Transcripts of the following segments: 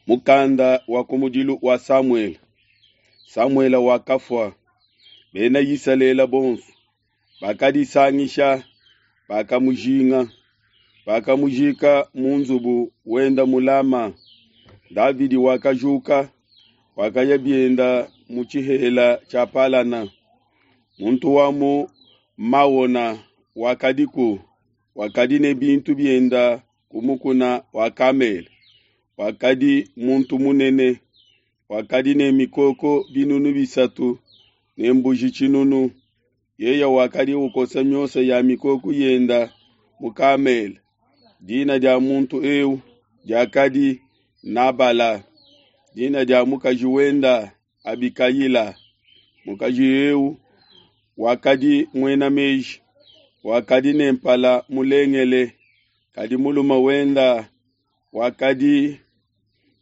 Mukanda wa kumudilu wa Samuele. Samuele wakafua, Bena Isalele bonso bakadisangisha, bakamujinga, bakamujika mu nzubu wenda mu Lama. Davidi wakajuka, wakaya bienda mu tshihela tshia Palana. Muntu wa mu Maona wakadiku, wakadi ne bintu bienda ku mukuna wa Kamele. Wakadi muntu munene, wakadi ne mikoko 300 ne mbuji 1,000. Yeye wakadi ukosa miosa ya mikoko yenda mu Kamele. Dina dia muntu eu diakadi Nabala, dina dia mukaji wenda Abikayila. Mukaji eu wakadi muena meji, wakadi ne mpala mulengele, kadi mulume wenda wakadi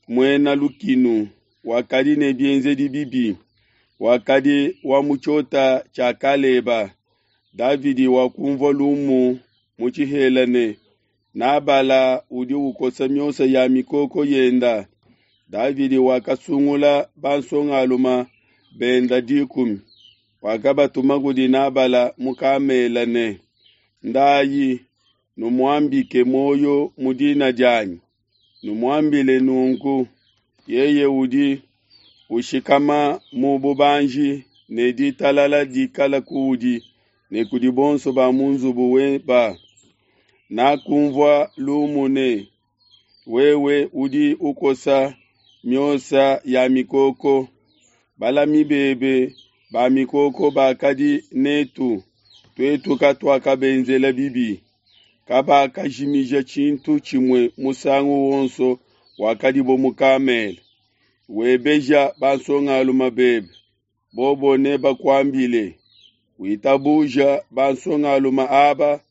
muena lukinu, wakadi ne bienzedi bibi, wakadi wa mu tshiota tshia Kaleba. Davidi wakumvua lumu mu tshihela ne, Nabala udi ukosa miosa ya mikoko yenda. Davidi wakasungula bansongalume benda 10, wakabatuma kudi Nabala mu Kamela ne, Ndayi numuambike muoyo mu dina dianyi, numuambile nunku, yeye udi ushikama mu bubanji ne ditalala dikala kuudi ne kudi bonso ba mu nzubu weba. Nakumvua lumu ne, wewe udi ukosa miosa ya mikoko. Balami bebe ba mikoko bakadi netu, tuetu katuakabenzela bibi. Kabakajimija tshintu tshimue musangu wonso wakadibo mu Kamele. Webeja bansongalume bebe, bobo nebakuambile. Witabuja bansongalume aba,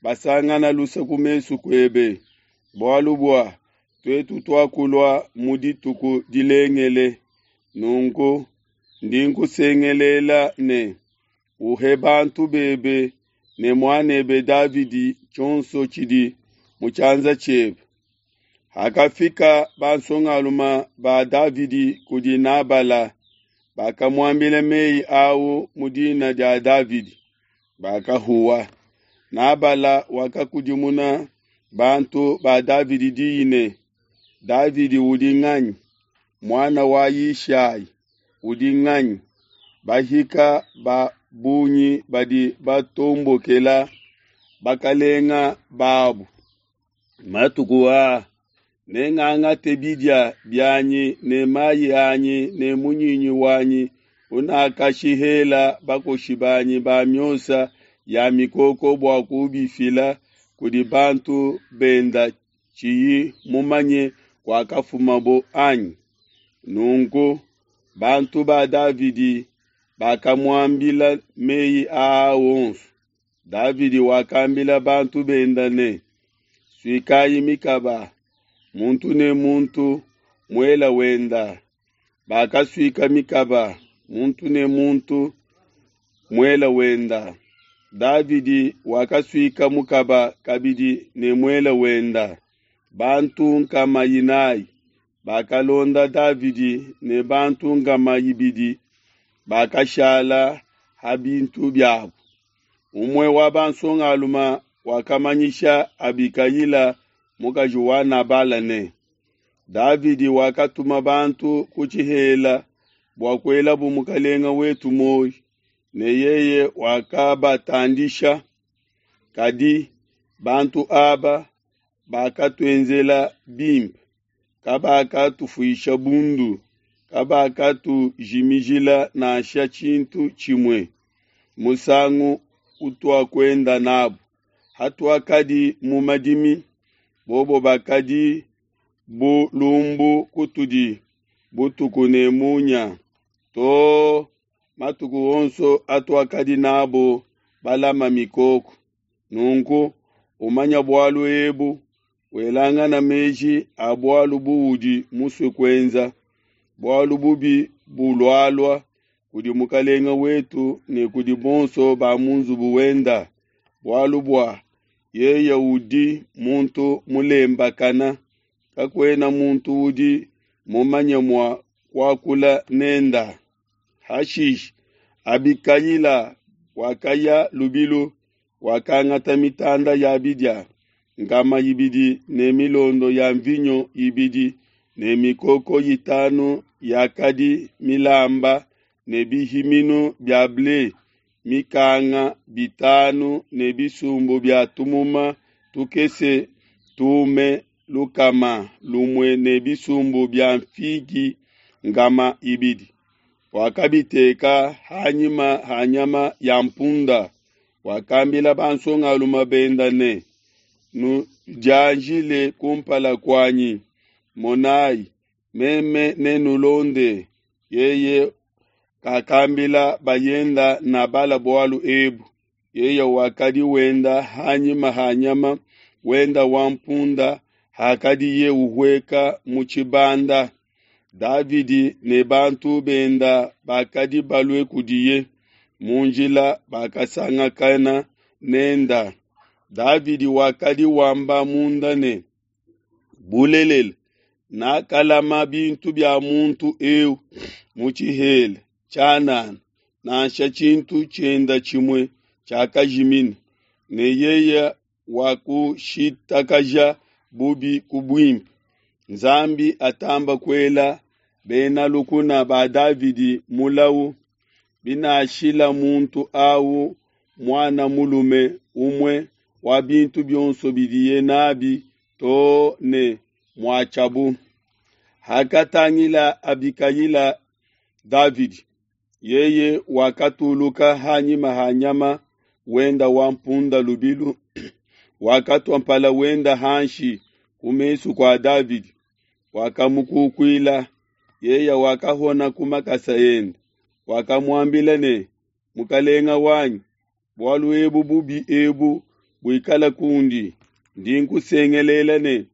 basangana luse ku mesu kuebe, bualu bua tuetu tuakulua mu dituku dilengele. Nunku ndi nkusengelela ne, uhe bantu bebe ne muanebe Davidi tshionso tshidi mu tshianza tshiebe. Hakafika bansongalume ba Davidi kudi Nabala, bakamuambila meyi au mu dina dia Davidi, bakahuwa. Nabala wakakudimuna bantu ba Davidi diyi ne, Davidi udi nganyi? Muana wa Yishai udi nganyi? Bahika ba bungi badi batombokela bakalenga babu. Matuku aa nengangate bidia bianyi ne mayi anyi ne munyinyi wanyi unakashihela bakoshi banyi ba miosa ya mikoko bua kubifila kudi bantu benda tshiyi mumanye kuakafumabo anyi? Nunku bantu ba Davidi bakamuambila meyi aa onso. Davidi wakambila bantu benda ne, Suikayi mikaba, muntu ne muntu muela wenda. Bakasuika mikaba, muntu ne muntu muela wenda. Davidi wakasuika mukaba kabidi ne muela wenda. Bantu 400 bakalonda Davidi ne bantu 200 bakashala ha bintu biabo. Umue wa bansongalume wakamanyisha Abikayila mukaji wa Nabala ne, Davidi wakatuma bantu ku tshihela bua kuelabu mukalenga wetu muoyo, ne yeye wakabatandisha. Kadi bantu aba bakatuenzela bimpe, kabakatufuisha bundu, kabakatujimijila nansha tshintu tshimue musangu utuakuenda nabo. Hatuakadi mu madimi, bobo bakadi bu lumbu kutudi butuku ne munya, to matuku onso atuakadi nabo balama mikoko. Nunku umanya bualu ebu, welangana meji a bualu buudi musue kuenza, bualu bubi bulualua kudi mukalenga wetu ne kudi bonso ba mu nzubu wenda, bualu bua yeye udi muntu mulembakana, kakuena muntu udi mumanye mua kuakula nenda. Hashishe Abikayila wakaya lubilu, wakangata mitanda ya bidia, nkama ibidi ne milondo ya mvinyo ibidi ne mikoko itanu yakadi milamba ne bihiminu bia ble mikanga bitanu ne bisumbu bia tumuma tukese tume 100 ne bisumbu bia nfigi 200. Wakabiteka hanyima ha nyama ya mpunda. Wakambila bansongalume benda ne, "Nudianjile kumpala kuanyi, monai, meme nenulonde." Yeye kakambila bayenda Nabala bualu ebu. Yeye wakadi wenda hanyima ha nyama wenda wa mpunda hakadiye uhueka mu tshibanda. Davidi ne bantu benda bakadi balue kudiye mu njila bakasangakana nenda. Davidi wakadi wamba munda ne, "Bulelela, nakalama bintu bia muntu eu mu tshihela tshianana, nansha tshintu tshienda tshimue tshiakajimina, ne yeye wakushintakaja bubi ku buimpe. Nzambi atamba kuela bena lukuna ba Davidi mulawu, binashila muntu au muana mulume umue wa bintu bionso bidiye nabi too ne muatshiabu." Hakatangila Abikayila Davidi, yeye wakatuluka hanyima ha nyama wenda wa mpunda lubilu, wakatua mpala wenda hanshi ku mesu kua Davidi, wakamukukuila. Yeye wakahona ku makasa ende, wakamuambila ne, "Mukalenga wanyi, bualu ebu bubi ebu buikala kundi, ndi nkusengelela ne,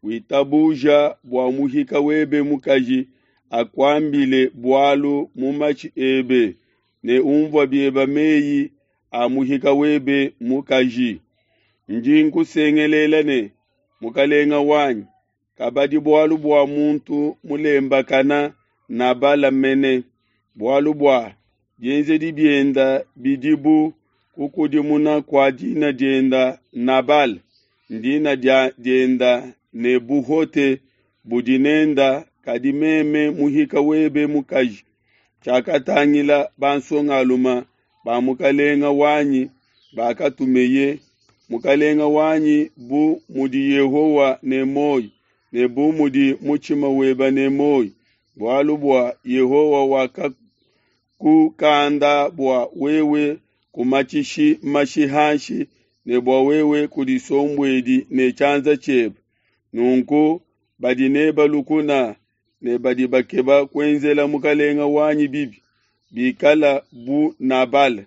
witabuja bua muhika webe mukaji akuambile bualu mu matshi ebe, ne umvua biebe meyi a muhika webe mukaji. Ndi nkusengelela ne, mukalenga wanyi, kabadi bualu bua muntu mulembakana Nabala mene, bualu bua bienzedi bienda bidi bu kukudimuna kua dina dienda Nabala, ndina dienda ne buhote budi nenda, kadi meme muhika webe mukaji, tshiakatangila bansongalume ba mukalenga wanyi bakatumeye. Mukalenga wanyi, bu mudi Yehowa ne muoyo ne bu mudi mutshima webe ne muoyo, bualu bua Yehowa wakakukanda bua wewe kumatshishi mashi hanshi ne bua wewe kudisombuedi ne tshianza tshiebe. Nunku badi neba lukuna ne badi bakeba kuenzela mukalenga wanyi bibi, bikala bu Nabala.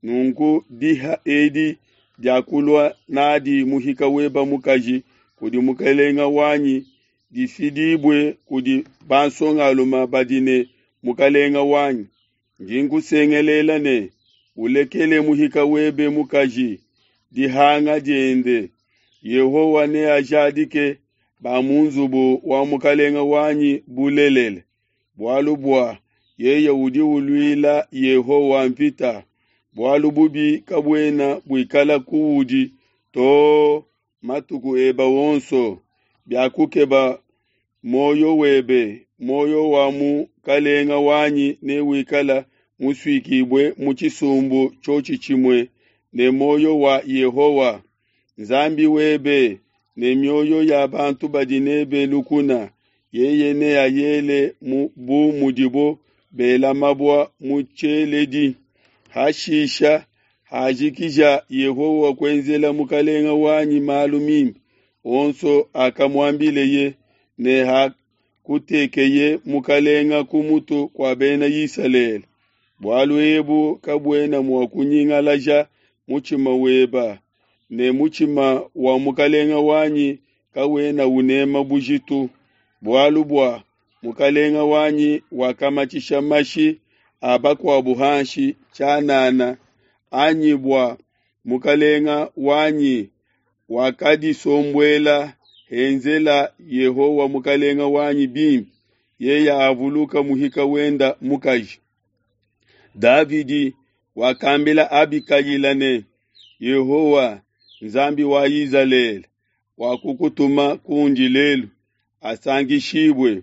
Nunku diha edi diakulua nadi muhika weba mukaji kudi mukalenga wanyi difidibue kudi bansongalume badi ne mukalenga wanyi. Ndi nkusengelela ne, ulekele muhika webe mukaji dihanga diende. Yehowa neajadike ba mu nzubu wa mukalenga wanyi bulelela, bualu bua yeye udi uluila Yehowa mvita. Bualu bubi kabuena buikala kuudi too matuku eba wonso. Biakukeba muoyo webe, muoyo wa mukalenga wanyi newikala musuikibue mu tshisumbu tshiotshi tshimue ne muoyo wa Yehowa Nzambi webe ne mioyo ya bantu badi nebe lukuna. Yeye neayele bu mudibo bela mabua mu tshieledi. Hashisha hajikija Yehowa kuenzela mukalenga wanyi malu mimpe onso akamuambileye, ne hakutekeye mukalenga ku mutu kua bena Isalele. Bualu ebu kabuena mua kunyingalaja mutshima weba, ne mutshima wa mukalenga wanyi kawena unema bujitu, bualu bua mukalenga wanyi wakamatshisha mashi a bakuabu hanshi tshianana, anyi bua mukalenga wanyi wakadisombuela henzela Yehowa mukalenga wanyi bimpe. Yeya avuluka muhika wenda mukaji. Davidi wakambila Abikayila ne, Yehowa, Nzambi wa Izalele, wakukutuma kundi lelu, asankishibue,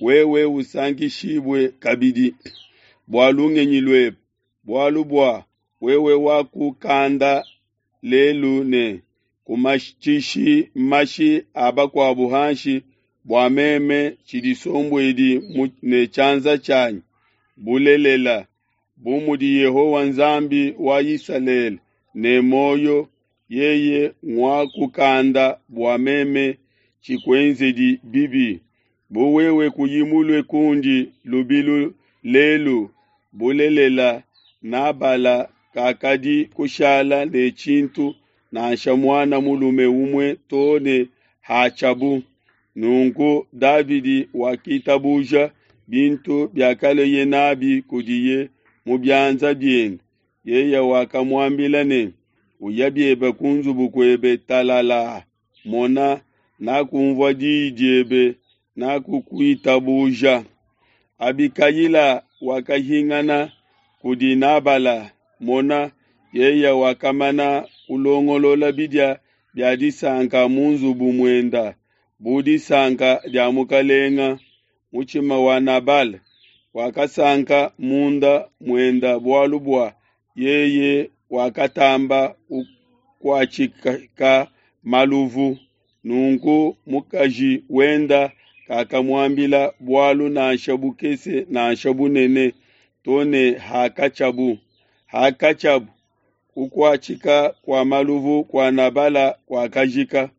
wewe usankishibue kabidi bua lungenyi luebe, bualu bua wewe wakukanda lelu ne kumatshishi mashi a bakuabu hanshi bua meme tshidisombuedi ne tshianza tshianyi. Bulelela, bu mudi Yehowa Nzambi wa Isalele ne muoyo, yeye nguakukanda bua meme tshikuenzedi bibi. Bu wewe kuyi mulue kundi lubilu lelu, bulelela, Nabala kakadi kushala ne tshintu nansha muana mulume umue to ne hatshiabu. Nunku Davidi wakitabuja bintu biakaleye nabi kudiye mu bianza biende. Yeye wakamuambila ne, Uya biebe ku nzubu kuebe talala, mona, nakumvua diyi diebe, nakukuitabuja. Abikayila wakahingana kudi Nabala, mona, yeye wakamana kulongolola bidia bia disanka mu nzubu muenda, bu disanka dia mukalenga. Mutshima wa Nabala wakasanka munda muenda bualu bua yeye wakatamba kukuatshika maluvu. Nunku mukaji wenda kakamuambila bualu nansha bukese nansha bunene to ne hakatshiabu. Hakatshiabu, kukuatshika kua maluvu kua Nabala kuakajika.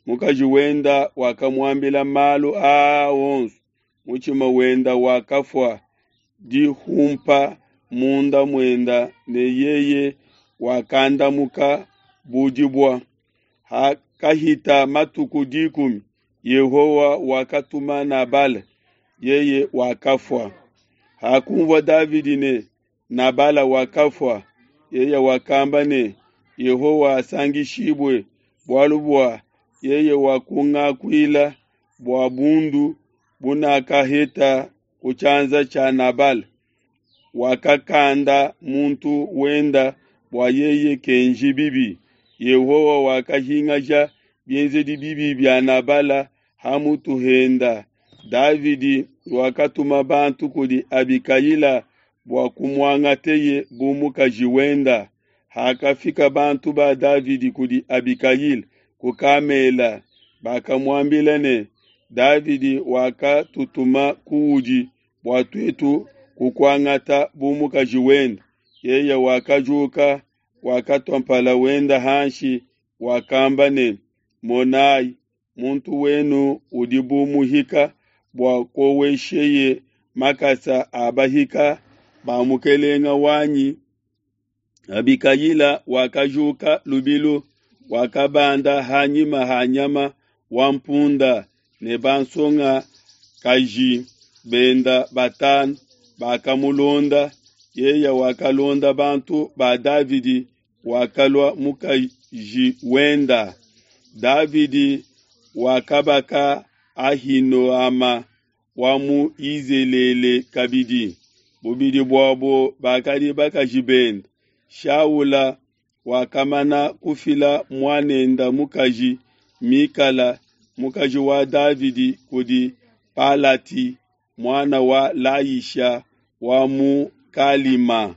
Mukaji wenda wakamuambila malu aa onso. Mutshima wenda wakafua dihumpa munda muenda, ne yeye wakandamuka bu dibua. Hakahita matuku 10, Yehowa wakatuma Nabala, yeye wakafua. Hakunvua Davidi ne Nabala wakafua, yeye wakamba ne, Yehowa asankishibue, bualu bua yeye wakungakuila bua bundu bunakaheta ku tshianza tshia Nabala. Wakakanda muntu wenda bua yeye kenji bibi. Yehowa wakahingaja bienzedi bibi bia Nabala ha mutu henda. Davidi wakatuma bantu kudi Abikayila bua kumuangateye bu mukaji wenda. Hakafika bantu ba Davidi kudi Abikayila ku Kamela, bakamuambila ne, Davidi wakatutuma kuudi bua tuetu kukuangata bu mukaji wenda. Yeye wakajuka, wakatua mpala wenda hanshi, wakamba ne, Monai, muntu wenu udi bu muhika bua kowesheye makasa a bahika ba mukelenge wanyi. Abikayila wakajuka lubilu, wakabanda hanyima ha nyama wa mpunda ne bansongakaji benda batanu bakamulonda. Yeye wakalonda bantu ba Davidi, wakalua mukaji wenda. Davidi wakabaka Ahinoama wa mu Yizelele kabidi. Bubidi buabo bakadi bakaji bende. Shaula wakamana kufila muanenda mukaji Mikala, mukaji wa Davidi, kudi Palati, muana wa Laisha wa mu Kalima.